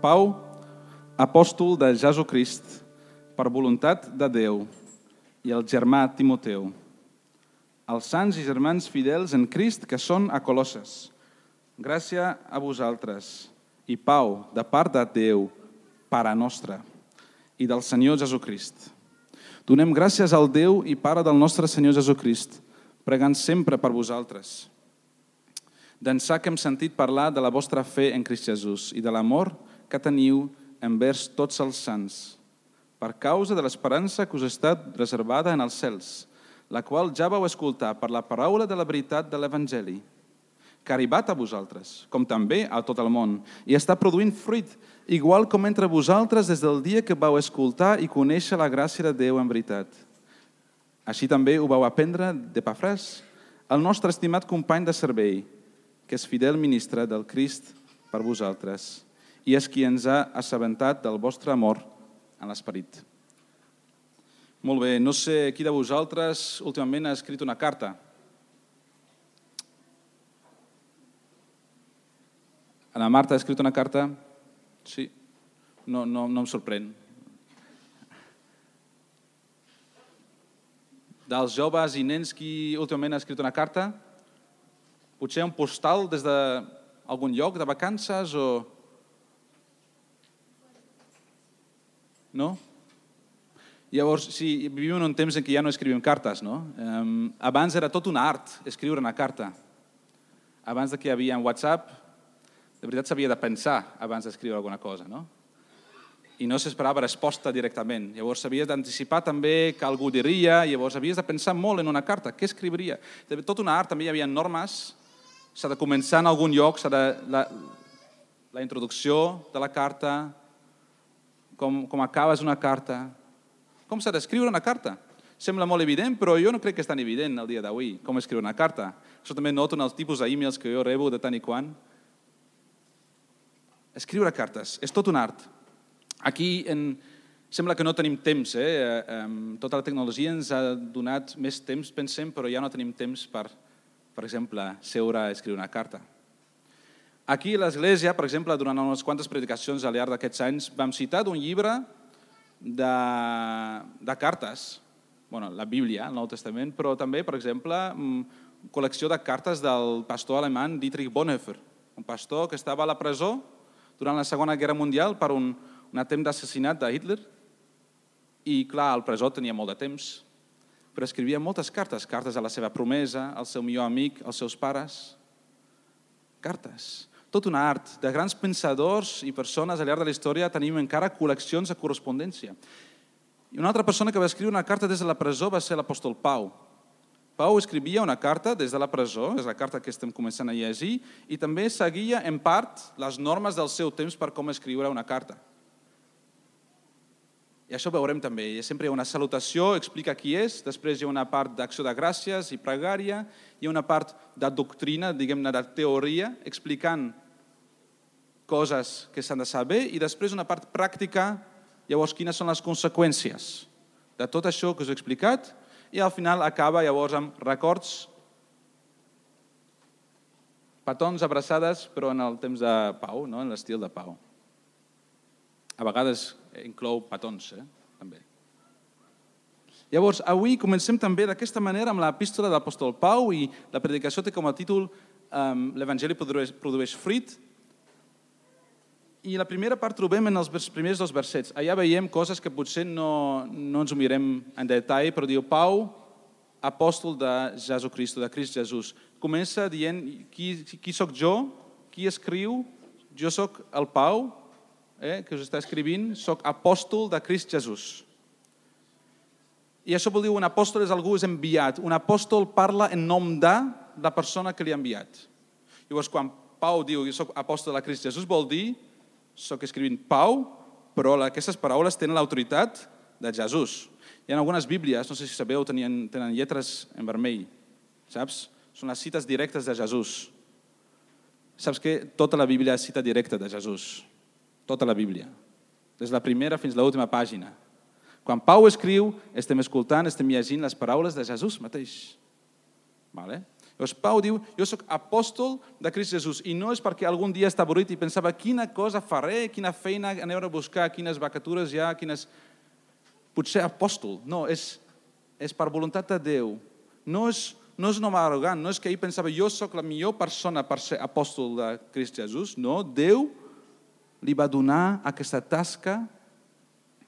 Pau, apòstol de Jesucrist, per voluntat de Déu, i el germà Timoteu, els sants i germans fidels en Crist que són a Colosses. Gràcia a vosaltres i pau de part de Déu, Pare nostre, i del Senyor Jesucrist. Donem gràcies al Déu i Pare del nostre Senyor Jesucrist, pregant sempre per vosaltres. D'ençà que hem sentit parlar de la vostra fe en Crist Jesús i de l'amor que teniu envers tots els sants, per causa de l'esperança que us ha estat reservada en els cels, la qual ja vau escoltar per la paraula de la veritat de l'Evangeli, que ha arribat a vosaltres, com també a tot el món, i està produint fruit, igual com entre vosaltres des del dia que vau escoltar i conèixer la gràcia de Déu en veritat. Així també ho vau aprendre d'Epafràs, el nostre estimat company de servei, que és fidel ministre del Crist per vosaltres, i és qui ens ha assabentat del vostre amor en l'esperit. Molt bé, no sé qui de vosaltres últimament ha escrit una carta. Ana Marta ha escrit una carta? Sí. No em sorprèn. Dels joves i nens qui últimament ha escrit una carta? Potser un postal des d'algun lloc de vacances o... No? Llavors, sí, vivim en un temps en què ja no escrivim cartes, no? Abans era tot un art escriure una carta. Abans que hi havia WhatsApp, de veritat s'havia de pensar abans d'escriure alguna cosa, no? I no s'esperava resposta directament. Llavors s'havia d'anticipar també que algú diria, llavors havies de pensar molt en una carta, què escriuria? Tot un art, també hi havia normes, s'ha de començar en algun lloc, la introducció de la carta, com acabes una carta, com s'ha d'escriure una carta. Sembla molt evident, però jo no crec que és tan evident el dia d'avui, com escriure una carta. Això també noto en els tipus d'e-mails que jo rebo de tant i quant. Escriure cartes, és tot un art. Aquí sembla que no tenim temps. Tota la tecnologia ens ha donat més temps, pensem, però ja no tenim temps per exemple, seure a escriure una carta. Aquí a l'Església, per exemple, durant unes quantes predicacions al llarg d'aquests anys, vam citar un llibre de cartes, la Bíblia, el Nou Testament, però també, per exemple, col·lecció de cartes del pastor alemany Dietrich Bonhoeffer, un pastor que estava a la presó durant la Segona Guerra Mundial per un atemptat d'assassinat de Hitler i, clar, al presó tenia molt de temps, però escrivia moltes cartes, cartes a la seva promesa, al seu millor amic, als seus pares. Cartes. Tot un art. De grans pensadors i persones al llarg de la història tenim encara col·leccions de correspondència. I una altra persona que va escriure una carta des de la presó va ser l'apòstol Pau. Pau escrivia una carta des de la presó, és la carta que estem començant a llegir, i també seguia en part les normes del seu temps per com escriure una carta. I això ho veurem també. Sempre hi ha una salutació, explica qui és, després hi ha una part d'acció de gràcies i pregària, hi ha una part de doctrina, diguem-ne de teoria, explicant coses que s'han de saber, i després una part pràctica, llavors quines són les conseqüències de tot això que us he explicat, i al final acaba llavors amb records, petons, abraçades, però en el temps de Pau, en l'estil de Pau. A vegades inclou petons, també. Llavors, avui comencem també d'aquesta manera amb l'epístola de l'apòstol Pau i la predicació té com a títol l'Evangeli produeix fruit. I la primera part trobem en els primers dos versets. Allà veiem coses que potser no ens ho mirem en detall, però diu Pau, apòstol de Jesucrist, de Crist Jesús. Comença dient qui soc jo, qui escriu, jo soc el Pau, que us està escrivint, soc apòstol de Crist Jesús. I això vol dir un apòstol és algú és enviat. Un apòstol parla en nom de la persona que li ha enviat. Llavors, quan Pau diu jo soc apòstol de Crist Jesús, vol dir soc escrivint Pau, però aquestes paraules tenen l'autoritat de Jesús. Hi ha algunes bíblies, no sé si sabeu, tenen lletres en vermell, saps? Són les cites directes de Jesús. Saps que tota la Bíblia és cita directa de Jesús. Tota la Bíblia, des de la primera fins a l'última pàgina. Quan Pau escriu, estem escoltant, estem llegint les paraules de Jesús mateix. Llavors Pau diu, jo sóc apòstol de Crist Jesús, i no és perquè algun dia està avorrit i pensava quina cosa faré, quina feina aneu a buscar, quines vacatures hi ha, potser apòstol. No, és per voluntat de Déu. No és un home arrogant, no és que ell pensava jo sóc la millor persona per ser apòstol de Crist Jesús. No, Déu li va donar aquesta tasca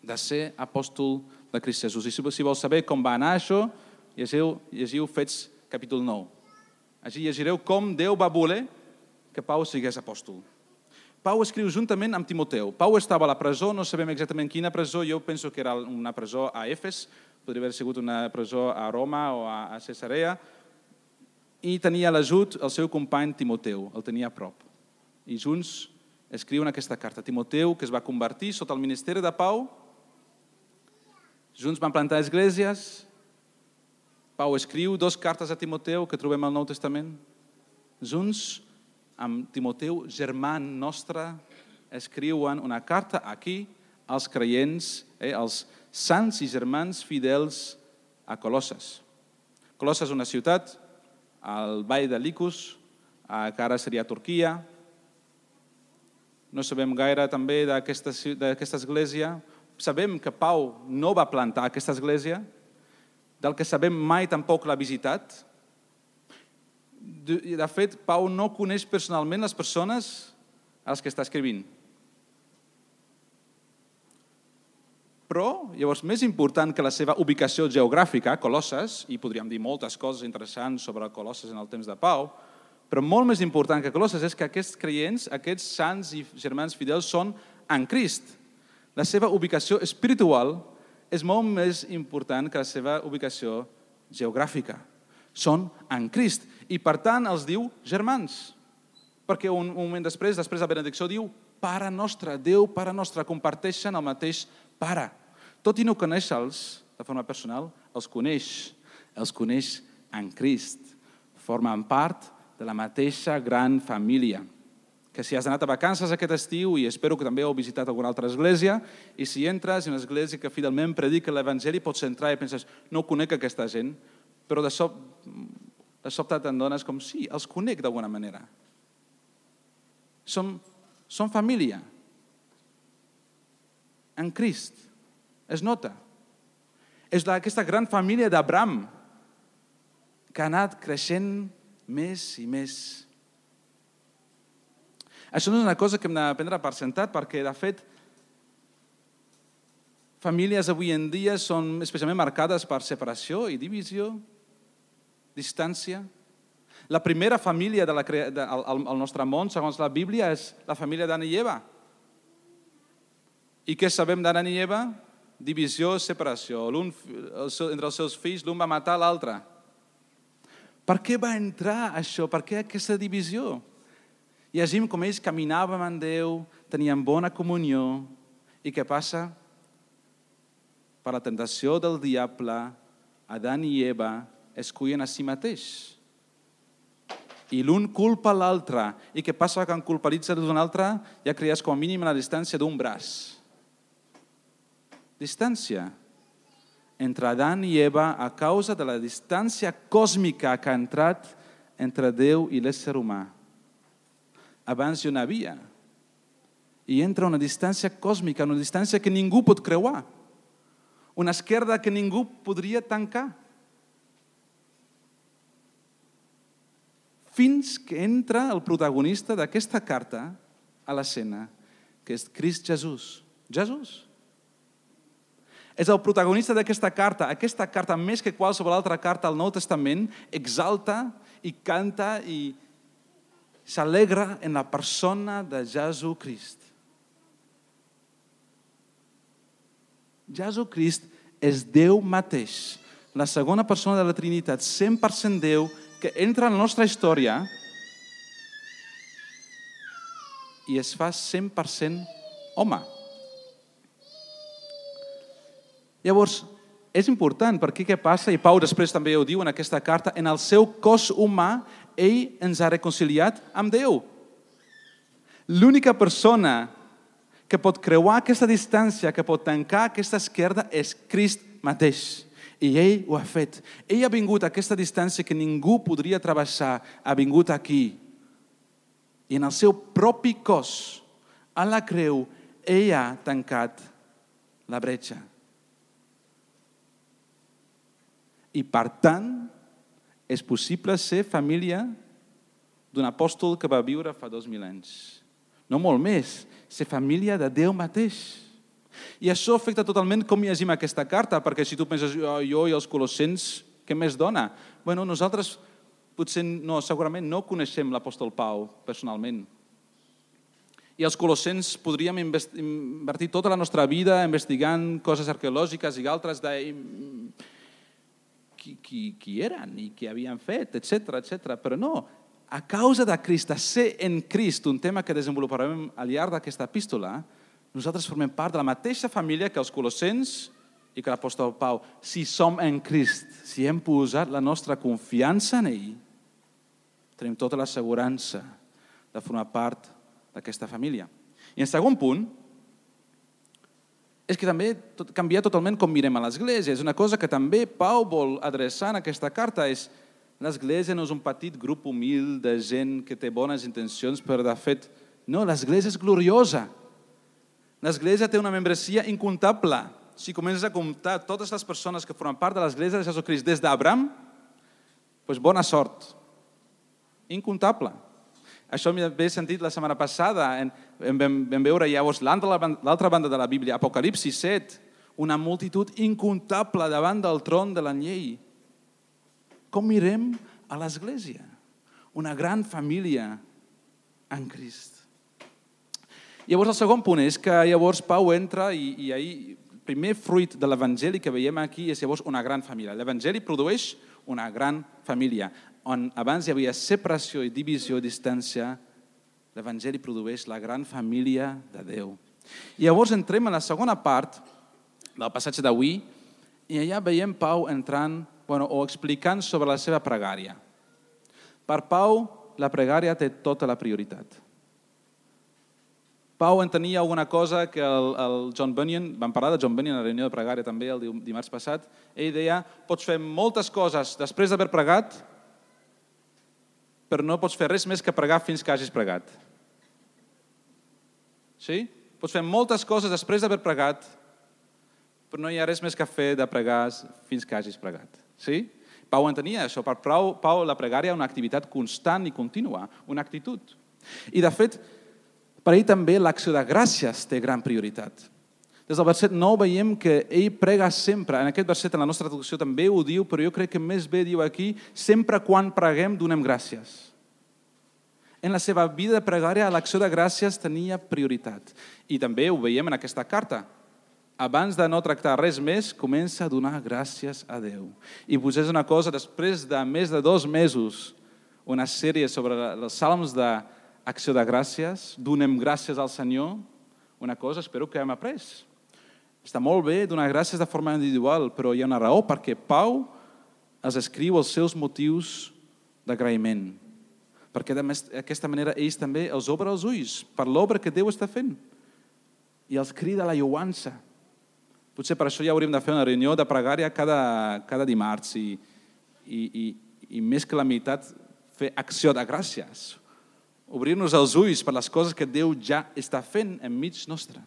de ser apòstol de Crist Jesús. I si vols saber com va anar això, llegiu Fets capítol 9. Així llegireu com Déu va voler que Pau sigués apòstol. Pau escriu juntament amb Timoteu. Pau estava a la presó, no sabem exactament quina presó, jo penso que era una presó a Efes, podria haver sigut una presó a Roma o a Cesarea, i tenia a l'ajut el seu company Timoteu, el tenia a prop. I junts escriuen aquesta carta. Timoteu, que es va convertir sota el ministeri de Pau, junts van plantar esglésies. Pau escriu 2 cartes a Timoteu que trobem al Nou Testament. Junts amb Timoteu, germà nostre, escriuen una carta aquí als creients, als sants i germans fidels a Colosses. Colosses és una ciutat al vall de Licus, que ara seria Turquia. No sabem gaire també d'aquesta església. Sabem que Pau no va plantar aquesta església, del que sabem mai tampoc l'ha visitat. De fet, Pau no coneix personalment les persones a les que està escrivint. Però, llavors, més important que la seva ubicació geogràfica, Colosses, i podríem dir moltes coses interessants sobre Colosses en el temps de Pau, però molt més important que Colosses és que aquests creients, aquests sants i germans fidels són en Crist. La seva ubicació espiritual és molt més important que la seva ubicació geogràfica. Són en Crist. I per tant els diu germans. Perquè un moment després de la benedicció diu Pare nostre, Déu, Pare nostre, comparteixen el mateix Pare. Tot i no conèixer-los de forma personal, els coneix en Crist. Formen part de la mateixa gran família. Que si has anat a vacances aquest estiu, i espero que també heu visitat alguna altra església, i si entres en una església que fidelment predica l'Evangeli, pots entrar i penses, no conec aquesta gent, però de sobte te'n dones com, sí, els conec d'alguna manera. Som família. En Crist. Es nota. És aquesta gran família d'Abraham que ha anat creixent més i més. Això no és una cosa que hem d'aprendre per sentat, perquè, de fet, famílies avui en dia són especialment marcades per separació i divisió, distància. La primera família del nostre món, segons la Bíblia, és la família d'Adam i Eva. I què sabem d'Adam i Eva? Divisió, separació. Entre els seus fills, l'un va matar l'altre. Per què va entrar això? Per què aquesta divisió? Llegim com ells caminaven amb Déu, tenien bona comunió, i què passa? Per la tentació del diable, Adam i Eva escullen a si mateix. I l'un culpa l'altre. I què passa quan culpabilitza d'un altre? Ja crees com a mínim la distància d'un braç. Distància entre Adam i Eva a causa de la distància còsmica que ha entrat entre Déu i l'ésser humà. Abans hi havia. I entra una distància còsmica, una distància que ningú pot creuar. Una esquerda que ningú podria tancar. Fins que entra el protagonista d'aquesta carta a l'escena, que és Crist Jesús. Jesús és el protagonista d'aquesta carta. Aquesta carta, més que qualsevol altra carta al Nou Testament, exalta i canta i s'alegra en la persona de Jesucrist. Jesucrist és Déu mateix, la segona persona de la Trinitat, 100% Déu, que entra en la nostra història i es fa 100% home. Llavors, és important, perquè què passa? I Pau després també ho diu en aquesta carta, en el seu cos humà, ell ens ha reconciliat amb Déu. L'única persona que pot creuar aquesta distància, que pot tancar aquesta esquerda, és Crist mateix. I ell ho ha fet. Ell ha vingut a aquesta distància que ningú podria travessar. Ha vingut aquí. I en el seu propi cos, a la creu, ell ha tancat la bretxa. I per tant, és possible ser família d'un apòstol que va viure fa 2000 anys. No molt més, ser família de Déu mateix. I això afecta totalment com llegim aquesta carta, perquè si tu penses, jo i els colossens, què més dona? Bueno, nosaltres potser segurament no coneixem l'apòstol Pau personalment. I els colossens podríem invertir tota la nostra vida investigant coses arqueològiques i altres de qui eren i què havien fet, etc. Però no, a causa de Crist, de ser en Crist, un tema que desenvoluparem al llarg d'aquesta epístola, nosaltres formem part de la mateixa família que els colossens i que l'apòstol Pau. Si som en Crist, si hem posat la nostra confiança en ell, tenim tota l'assegurança de formar part d'aquesta família. I en segon punt, és que també canvia totalment com mirem a l'Església. És una cosa que també Pau vol adreçar en aquesta carta. L'Església no és un petit grup humil de gent que té bones intencions, però de fet, no, l'Església és gloriosa. L'Església té una membresia incomptable. Si comences a comptar totes les persones que formen part de l'Església de Jesucrist des d'Abraham, doncs bona sort. Incomptable. Això m'he sentit la setmana passada. Vam veure llavors l'altra banda de la Bíblia, Apocalipsi 7, una multitud incomptable davant del tron de l'anyell. Com mirem a l'Església? Una gran família en Crist. Llavors, el segon punt és que llavors Pau entra i el primer fruit de l'Evangeli que veiem aquí és llavors una gran família. L'Evangeli produeix una gran família. On abans hi havia separació i divisió i distància, l'Evangeli produeix la gran família de Déu. I llavors entrem a la segona part del passatge d'avui i allà veiem Pau entrant o explicant sobre la seva pregària. Per Pau, la pregària té tota la prioritat. Pau entenia alguna cosa que el John Bunyan, vam parlar de John Bunyan a la reunió de pregària també el dimarts passat, ell deia, pots fer moltes coses després d'haver pregat, però no pots fer res més que pregar fins que hagis pregat. Sí? Pots fer moltes coses després d'haver pregat, però no hi ha res més que fer de pregar fins que hagis pregat. Sí? Pau entenia això. Per Pau la pregària és una activitat constant i contínua, una actitud. I de fet, per ell també l'acció de gràcies té gran prioritat. Des del verset 9 veiem que ell prega sempre. En aquest verset, en la nostra traducció també ho diu, però jo crec que més bé diu aquí, sempre quan preguem donem gràcies. En la seva vida de pregària, l'acció de gràcies tenia prioritat. I també ho veiem en aquesta carta. Abans de no tractar res més, comença a donar gràcies a Déu. I potser és una cosa, després de més de 2 mesos, una sèrie sobre els salms d'acció de gràcies, donem gràcies al Senyor, una cosa espero que hem après. Està molt bé donar gràcies de forma individual, però hi ha una raó perquè Pau els escriu els seus motius d'agraïment. Perquè d'aquesta manera ells també els obre els ulls per l'obra que Déu està fent i els crida a la lloança. Potser per això ja hauríem de fer una reunió de pregària cada dimarts i més que la meitat fer acció de gràcies. Obrir-nos els ulls per les coses que Déu ja està fent enmig nostre.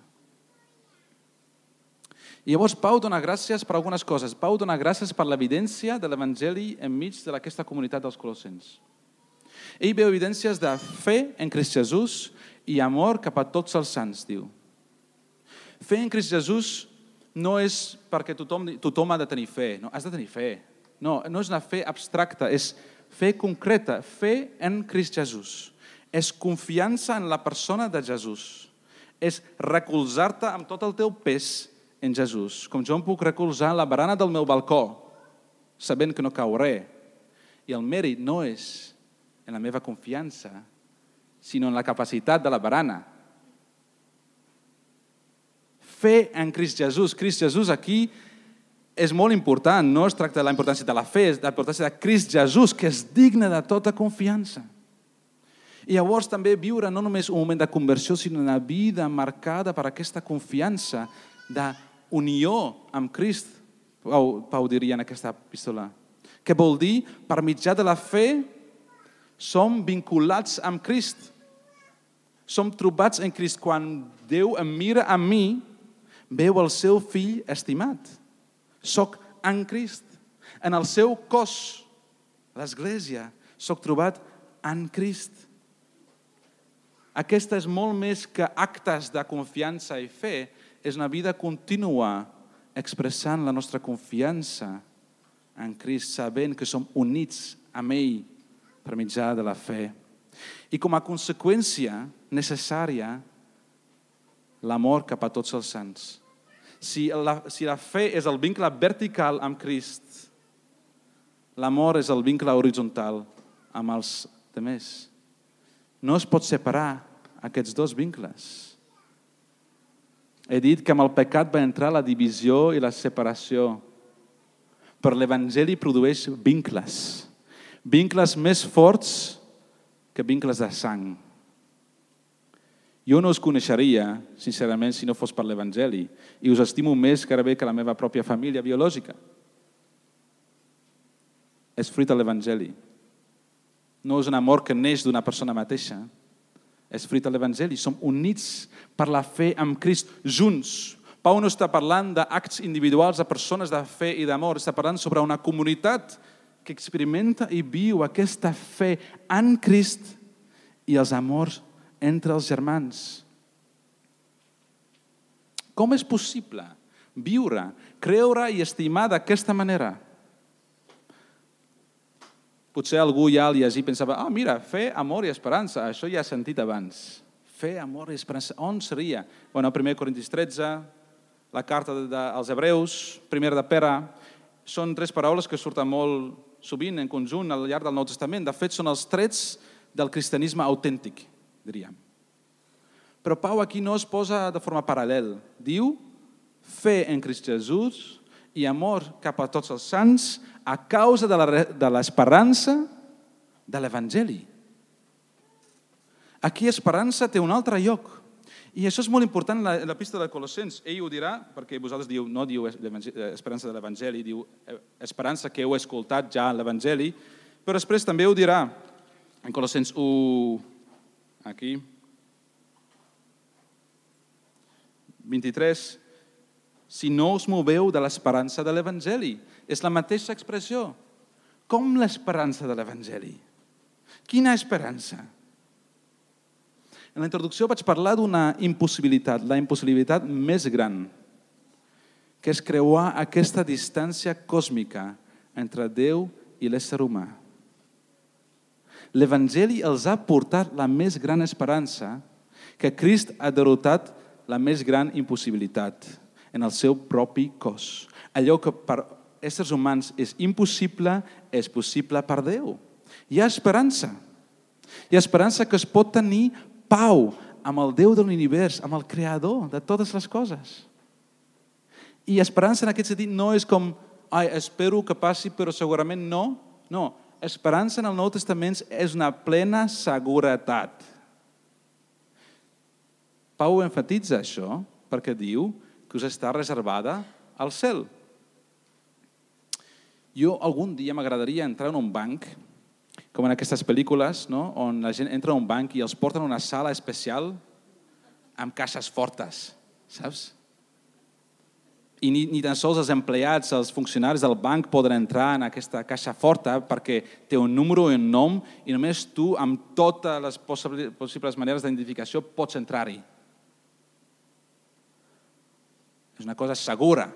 I llavors Pau dona gràcies per algunes coses. Pau dona gràcies per l'evidència de l'Evangeli enmig d'aquesta comunitat dels colossens. Ell veu evidències de fe en Crist Jesús i amor cap a tots els sants, diu. Fe en Crist Jesús no és perquè tothom ha de tenir fe. No, has de tenir fe. No és una fe abstracta, és fe concreta, fe en Crist Jesús. És confiança en la persona de Jesús. És recolzar-te amb tot el teu pes en Jesús. Com jo em puc recolzar en la barana del meu balcó, sabent que no cauré. I el mèrit no és en la meva confiança, sinó en la capacitat de la barana. Fe en Crist Jesús. Crist Jesús aquí és molt important. No es tracta de la importància de la fe, és de la importància de Crist Jesús, que és digne de tota confiança. I llavors també viure no només un moment de conversió, sinó una vida marcada per aquesta confiança d'unió amb Crist, Pau diria en aquesta epístola? Què vol dir? Per mitjà de la fe som vinculats amb Crist. Som trobats en Crist. Quan Déu em mira a mi, veu el seu fill estimat. Soc en Crist. En el seu cos, l'Església, soc trobat en Crist. Aquesta és molt més que actes de confiança i fe, és una vida contínua expressant la nostra confiança en Crist, sabent que som units amb ell per mitjà de la fe. I com a conseqüència necessària, l'amor cap a tots els sants. Si la fe és el vincle vertical amb Crist, l'amor és el vincle horitzontal amb els altres. No es pot separar aquests dos vincles. He dit que amb el pecat va entrar la divisió i la separació, però l'Evangeli produeix vincles. Vincles més forts que vincles de sang. Jo no us coneixeria, sincerament, si no fos per l'Evangeli, i us estimo més gairebé que la meva pròpia família biològica. És fruit de l'Evangeli. No és un amor que neix d'una persona mateixa. És fruit de l'Evangeli. Som units per la fe amb Crist, junts. Pau no està parlant d'actes individuals de persones de fe i d'amor. Està parlant sobre una comunitat que experimenta i viu aquesta fe en Crist i els amors entre els germans. Com és possible viure, creure i estimar d'aquesta manera? Potser algú ja al llegir pensava, mira, fe, amor i esperança, això ja he sentit abans. Fe, amor i esperança, on seria? Bueno, 1 Corintis 13, la carta als Hebreus, 1 de Pere, són 3 paraules que surten molt sovint en conjunt al llarg del Nou Testament. De fet, són els trets del cristianisme autèntic, diríem. Però Pau aquí no es posa de forma paral·lel. Diu, fe en Crist Jesús i amor cap a tots els sants a causa de l'esperança de l'Evangeli. Aquí esperança té un altre lloc. I això és molt important en l'epístola de Colossens. Ell ho dirà, perquè vosaltres no diu esperança de l'Evangeli, diu esperança que heu escoltat ja en l'Evangeli, però després també ho dirà en Colossens 1, aquí, 23, si no us moveu de l'esperança de l'Evangeli. És la mateixa expressió. Com l'esperança de l'Evangeli? Quina esperança? En la introducció vaig parlar d'una impossibilitat, la impossibilitat més gran, que és creuar aquesta distància còsmica entre Déu i l'ésser humà. L'Evangeli els ha portat la més gran esperança, que Crist ha derrotat la més gran impossibilitat en el seu propi cos. Allò que per éssers humans és impossible, és possible per Déu. Hi ha esperança. Hi ha esperança que es pot tenir pau amb el Déu de l'univers, amb el Creador de totes les coses. I esperança en aquest sentit no és com, espero que passi, però segurament no. No, esperança en el Nou Testament és una plena seguretat. Pau enfatitza això perquè diu que us està reservada al cel. Jo algun dia m'agradaria entrar en un banc, com en aquestes pel·lícules, no? On la gent entra a un banc i els porten a una sala especial amb caixes fortes, saps? I ni tan sols els empleats, els funcionaris del banc poden entrar en aquesta caixa forta perquè té un número i un nom i només tu, amb totes les possibles maneres d'identificació, pots entrar-hi. És una cosa segura.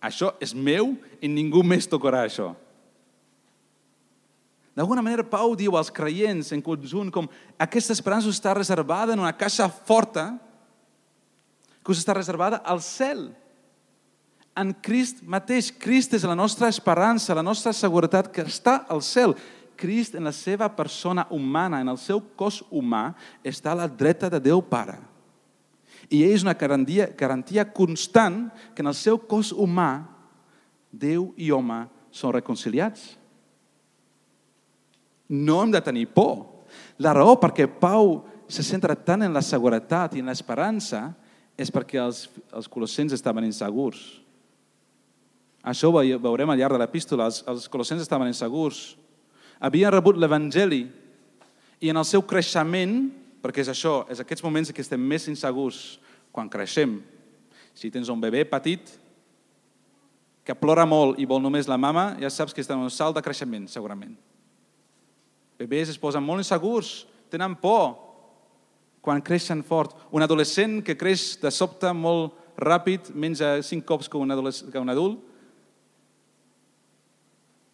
Això és meu i ningú més tocarà això. D'alguna manera, Pau diu als creients en conjunt com aquesta esperança està reservada en una caixa forta que us està reservada al cel. En Crist mateix. Crist és la nostra esperança, la nostra seguretat que està al cel. Crist, en la seva persona humana, en el seu cos humà, està a la dreta de Déu Pare. I és una garantia constant que en el seu cos humà Déu i home són reconciliats. No hem de tenir por. La raó perquè Pau se centra tant en la seguretat i en l'esperança és perquè els colossens estaven insegurs. Això ho veurem al llarg de l'epístola. Els colossens estaven insegurs. Havien rebut l'Evangeli i en el seu creixement, perquè és això, és aquests moments que estem més insegurs quan creixem. Si tens un bebè petit que plora molt i vol només la mama, ja saps que està en un salt de creixement, segurament. Bebès es posen molt insegurs, tenen por quan creixen fort. Un adolescent que creix de sobte molt ràpid, menja 5 cops que un adult,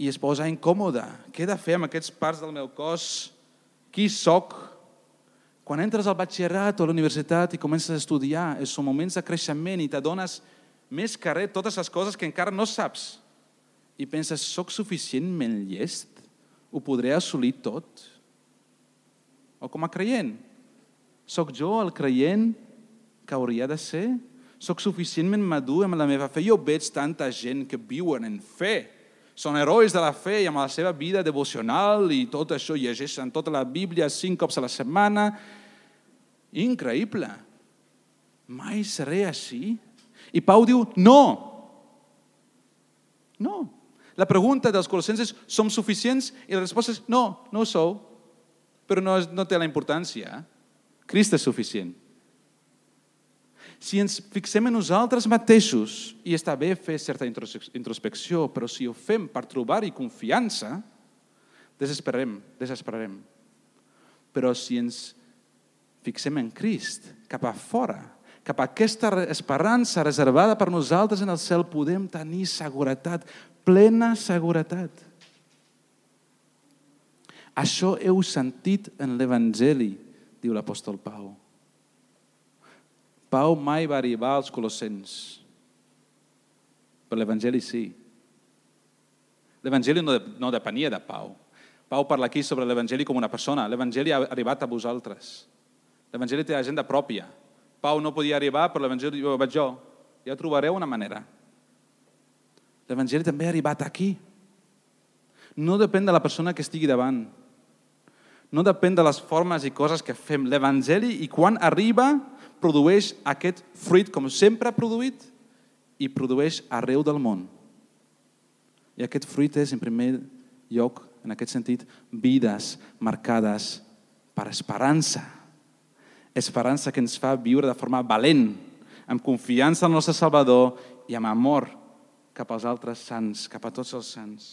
i es posa incòmode. Què he de fer amb aquests parts del meu cos? Qui soc? Quan entres al batxillerat o a la universitat i comences a estudiar, són moments de creixement i t'adones més que res totes les coses que encara no saps. I penses, soc suficientment llest? Ho podré assolir tot? O com a creient? Soc jo el creient que hauria de ser? Soc suficientment madur amb la meva fe? Jo veig tanta gent que viuen en fe. Són herois de la fe i amb la seva vida devocional i tot això, llegeixen tota la Bíblia 5 cops a la setmana. Increïble. Mai seré així? I Pau diu, no. No. La pregunta dels colossens és, som suficients? I la resposta és, no, no ho sou. Però no té la importància. Crist és suficient. Si ens fixem en nosaltres mateixos, i està bé fer certa introspecció, però si ho fem per trobar-hi confiança, desesperarem. Però si ens fixem en Crist, cap a fora, cap a aquesta esperança reservada per nosaltres en el cel, podem tenir seguretat, plena seguretat. Això heu sentit en l'Evangeli, diu l'apòstol Pau. Pau mai va arribar als colossens, però l'Evangeli sí. L'Evangeli no depenia de Pau. Pau parla aquí sobre l'Evangeli com una persona. L'Evangeli ha arribat a vosaltres. L'Evangeli té agenda pròpia. Pau no podia arribar, però l'Evangeli ho vaig jo. Ja trobareu una manera. L'Evangeli també ha arribat aquí. No depèn de la persona que estigui davant. No depèn de les formes i coses que fem. L'Evangeli, i quan arriba, produeix aquest fruit com sempre ha produït i produeix arreu del món. I aquest fruit és, en primer lloc, en aquest sentit, vides marcades per esperança. Esperança que ens fa viure de forma valent, amb confiança en el nostre Salvador i amb amor cap als altres sants, cap a tots els sants.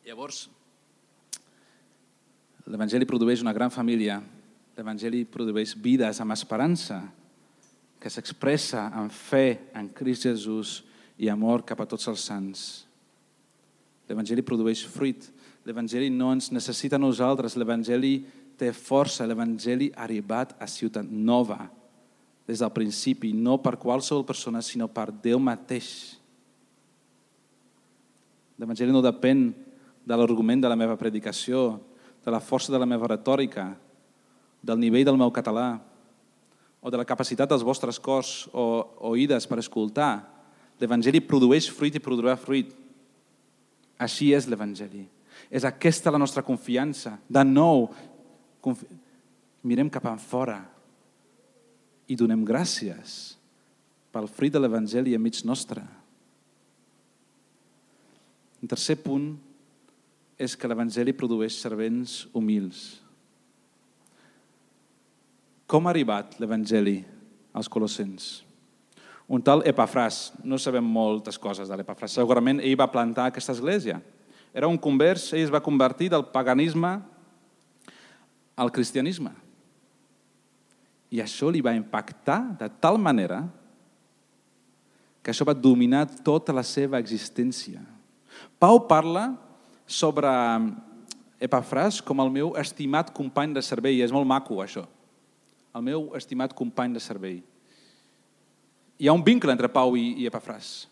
Llavors, l'Evangeli produeix una gran família. L'Evangeli produeix vides amb esperança que s'expressa en fe en Crist Jesús i amor cap a tots els sants. L'Evangeli produeix fruit. L'Evangeli no ens necessita a nosaltres. L'Evangeli té força. L'Evangeli ha arribat a Ciutat Nova des del principi, no per qualsevol persona, sinó per Déu mateix. L'Evangeli no depèn de l'argument de la meva predicació, de la força de la meva retòrica, del nivell del meu català, o de la capacitat dels vostres cors o oïdes per escoltar. L'Evangeli produeix fruit i produirà fruit. Així és l'Evangeli. És aquesta la nostra confiança. De nou, mirem cap enfora i donem gràcies pel fruit de l'Evangeli enmig nostre. El tercer punt és que l'Evangeli produeix servents humils. Com ha arribat l'Evangeli als colossens? Un tal Epafràs, no sabem moltes coses de l'Epafràs, segurament ell va plantar aquesta església. Era un convers, ell es va convertir del paganisme al cristianisme. I això li va impactar de tal manera que això va dominar tota la seva existència. Pau parla sobre Epafràs com el meu estimat company de servei. És molt maco, això. El meu estimat company de servei. Hi ha un vincle entre Pau i Epafràs.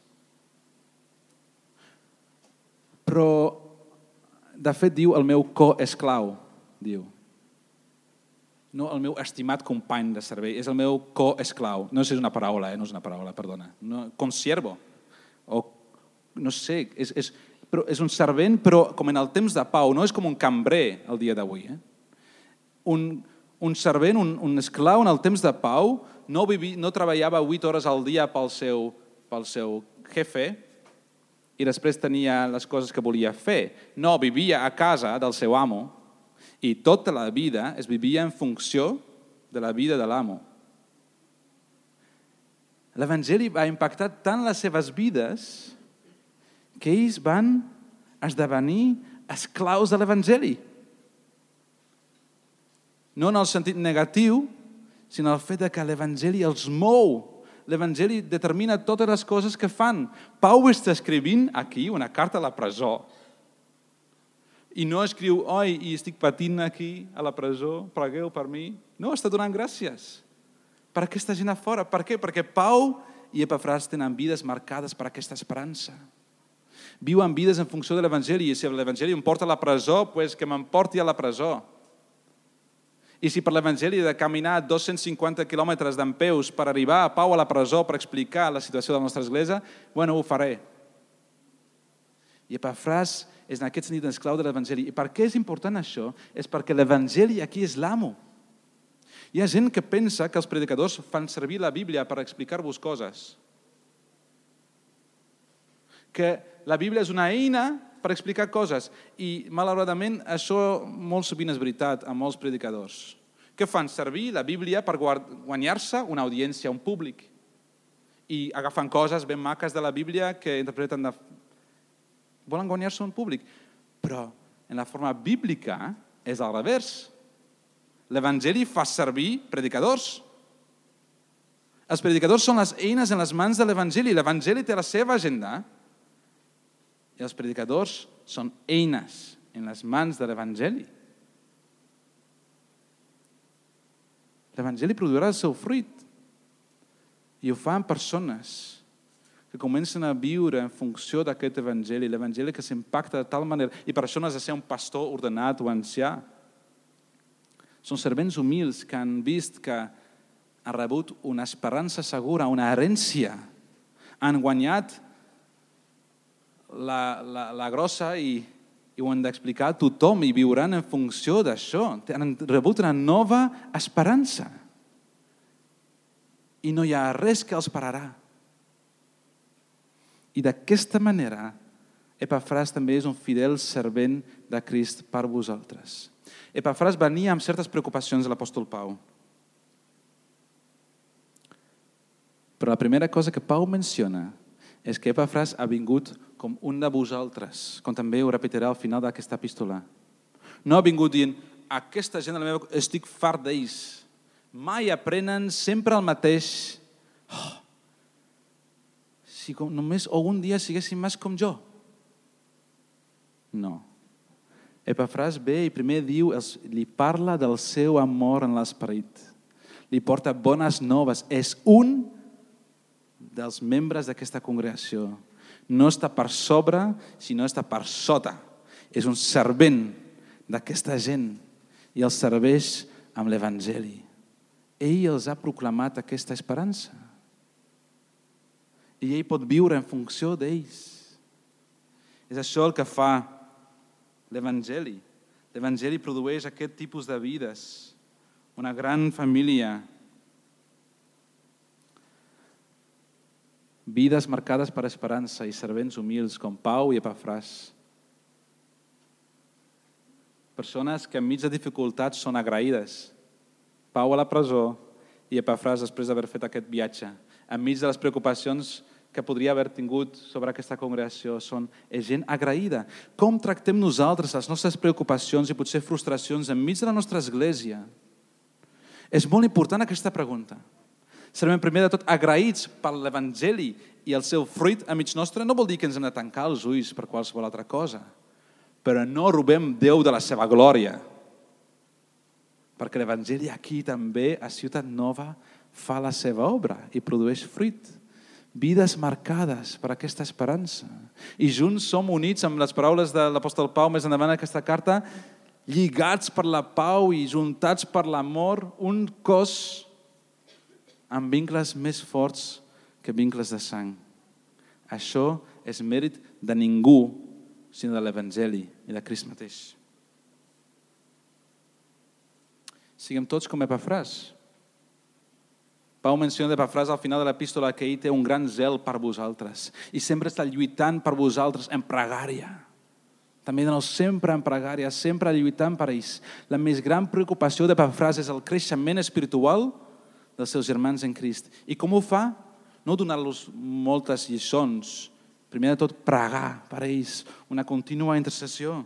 Però, de fet, diu el meu coesclau, diu. No el meu estimat company de servei, és el meu coesclau. No sé si és una paraula, no és una paraula, perdona. No, consiervo. O, no sé, és un servent, però com en el temps de Pau, no és com un cambrer el dia d'avui. un servent, un esclau en el temps de Pau, no treballava 8 hores al dia pel seu jefe i després tenia les coses que volia fer. No, vivia a casa del seu amo i tota la vida es vivia en funció de la vida de l'amo. L'Evangeli va impactar tant les seves vides que ells van esdevenir esclaus de l'Evangeli. No en el sentit negatiu, sinó el fet que l'Evangeli els mou. L'Evangeli determina totes les coses que fan. Pau està escrivint aquí una carta a la presó. I no escriu, oi, i estic patint aquí a la presó, pregueu per mi. No, està donant gràcies per aquesta gent a fora. Per què? Perquè Pau i Epafràs tenen vides marcades per aquesta esperança. Viuen vides en funció de l'Evangeli, i si l'Evangeli em porta a la presó, doncs que m'emporti a la presó. I si per l'Evangeli he de caminar 250 quilòmetres dempeus per arribar a Pau a la presó per explicar la situació de la nostra església, bueno, ho faré. I Epafràs és en aquest sentit esclau de l'Evangeli. I per què és important això? És perquè l'Evangeli aquí és l'amo. Hi ha gent que pensa que els predicadors fan servir la Bíblia per explicar-vos coses. Que la Bíblia és una eina per explicar coses. I, malauradament, això molt sovint és veritat amb molts predicadors. Que fan servir la Bíblia per guanyar-se una audiència, un públic. I agafen coses ben maques de la Bíblia que interpreten de... Volen guanyar-se un públic. Però en la forma bíblica és al revés. L'Evangeli fa servir predicadors. Els predicadors són les eines en les mans de l'Evangeli. L'Evangeli té la seva agenda. I els predicadors són eines en les mans de l'Evangeli. L'Evangeli produirà el seu fruit. I ho fan persones que comencen a viure en funció d'aquest Evangeli, l'Evangeli que s'impacta de tal manera. I per això no has de ser un pastor ordenat o ancià. Són servents humils que han vist que han rebut una esperança segura, una herència. Han guanyat la grossa i ho han d'explicar a tothom i viuran en funció d'això. Han rebut una nova esperança. I no hi ha res que els pararà. I d'aquesta manera, Epafràs també és un fidel servent de Crist per vosaltres. Epafràs venia amb certes preocupacions de l'apòstol Pau. Però la primera cosa que Pau menciona és que Epafràs ha vingut com un de vosaltres, com també ho repetirà al final d'aquesta epístola. No ha vingut dient, aquesta gent de la meva... estic fart d'ells. Mai aprenen sempre el mateix. Si només algun dia siguessin més com jo. No. Epafràs ve i primer diu, li parla del seu amor en l'esperit. Li porta bones noves. És un dels membres d'aquesta congregació. No està per sobre, sinó està per sota. És un servent d'aquesta gent i els serveix amb l'Evangeli. Ell els ha proclamat aquesta esperança. I ell pot viure en funció d'ells. És això el que fa l'Evangeli. L'Evangeli produeix aquest tipus de vides. Una gran família. Vides marcades per esperança i servents humils com Pau i Epafràs. Persones que enmig de dificultats són agraïdes. Pau a la presó i Epafràs després d'haver fet aquest viatge. Enmig de les preocupacions que podria haver tingut sobre aquesta congregació, és gent agraïda. Com tractem nosaltres les nostres preocupacions i potser frustracions enmig de la nostra església? És molt important aquesta pregunta. Serem primer de tot agraïts per l'Evangeli i el seu fruit enmig nostre. No vol dir que ens hem de tancar els ulls per qualsevol altra cosa, però no robem Déu de la seva glòria. Perquè l'Evangeli aquí també, a Ciutat Nova, fa la seva obra i produeix fruit. Vides marcades per aquesta esperança. I junts som units amb les paraules de l'apòstol Pau més endavant aquesta carta, lligats per la pau i juntats per l'amor, un cos amb vincles més forts que vincles de sang. Això és mèrit de ningú, sinó de l'Evangeli i de Crist mateix. Siguem tots com Epafràs. Pau menciona Epafràs al final de l'epístola que ell té un gran zel per vosaltres i sempre està lluitant per vosaltres en pregària. També sempre en pregària, sempre lluitant per ells. La més gran preocupació d'Epafràs és el creixement espiritual dels seus germans en Crist. I com ho fa? No donar-los moltes lliçons. Primer de tot, pregar per ells, una contínua intercessió.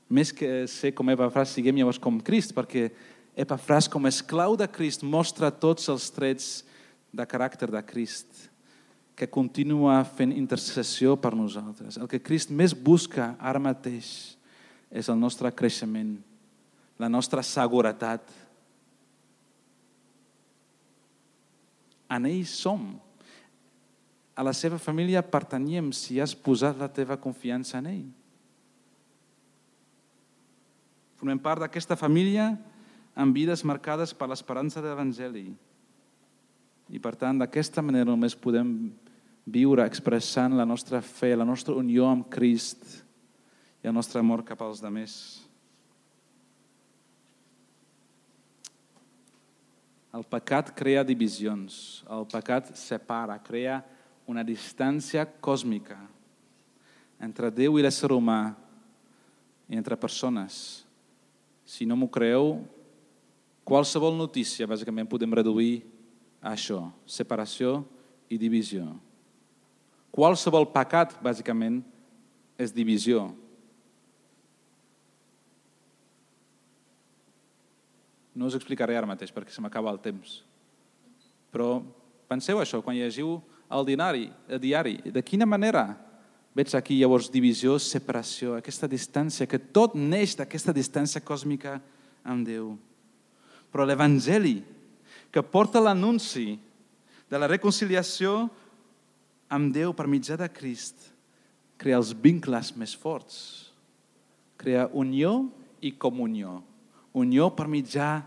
Més que ser com Epafràs, siguem llavors com Crist, perquè Epafràs, com a esclau de Crist, mostra tots els trets de caràcter de Crist, que continua fent intercessió per nosaltres. El que Crist més busca ara mateix és el nostre creixement, la nostra seguretat. En ell som. A la seva família pertanyem si has posat la teva confiança en ell. Formem part d'aquesta família amb vides marcades per l'esperança de l'Evangeli. I per tant, d'aquesta manera només podem viure expressant la nostra fe, la nostra unió amb Crist i el nostre amor cap als altres. El pecat crea divisions, el pecat separa, crea una distància còsmica entre Déu i l'ésser humà i entre persones. Si no m'ho creeu, qualsevol notícia, bàsicament, podem reduir a això, separació i divisió. Qualsevol pecat, bàsicament, és divisió. No us explicaré ara mateix perquè se m'acaba el temps. Però penseu això, quan llegiu el diari, de quina manera veig aquí llavors divisió, separació, aquesta distància, que tot neix d'aquesta distància còsmica amb Déu. Però l'Evangeli, que porta l'anunci de la reconciliació amb Déu per mitjà de Crist, crea els vincles més forts. Crea unió i comunió. Unió per mitjà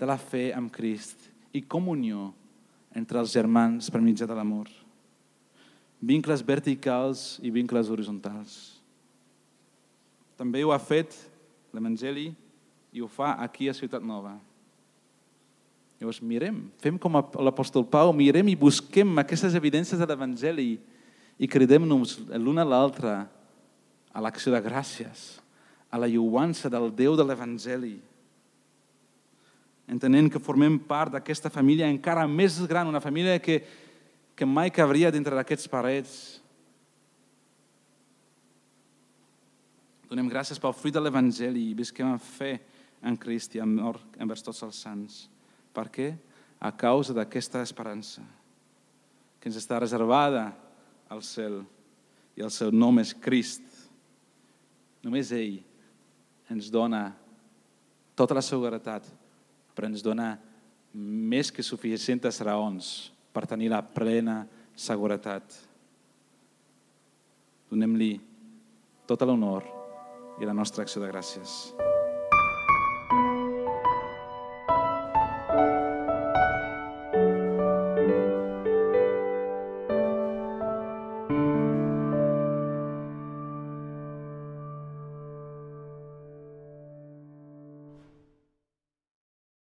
de la fe amb Crist i comunió entre els germans per mitjà de l'amor. Vincles verticals i vincles horitzontals. També ho ha fet l'Evangeli i ho fa aquí a Ciutat Nova. Llavors mirem, fem com l'apòstol Pau, mirem i busquem aquestes evidències de l'Evangeli i cridem-nos l'un a l'altre a l'acció de gràcies, a la lluança del Déu de l'Evangeli, entenent que formem part d'aquesta família encara més gran, una família que mai cabria dintre d'aquests parets. Donem gràcies pel fruit de l'Evangeli i visquem en fe en Crist i en amor envers tots els sants. Per què? A causa d'aquesta esperança que ens està reservada al cel i el seu nom és Crist. Només ell ens dona tota la seguretat, però ens dona més que suficients raons per tenir la plena seguretat. Donem-li tot l'honor i la nostra acció de gràcies.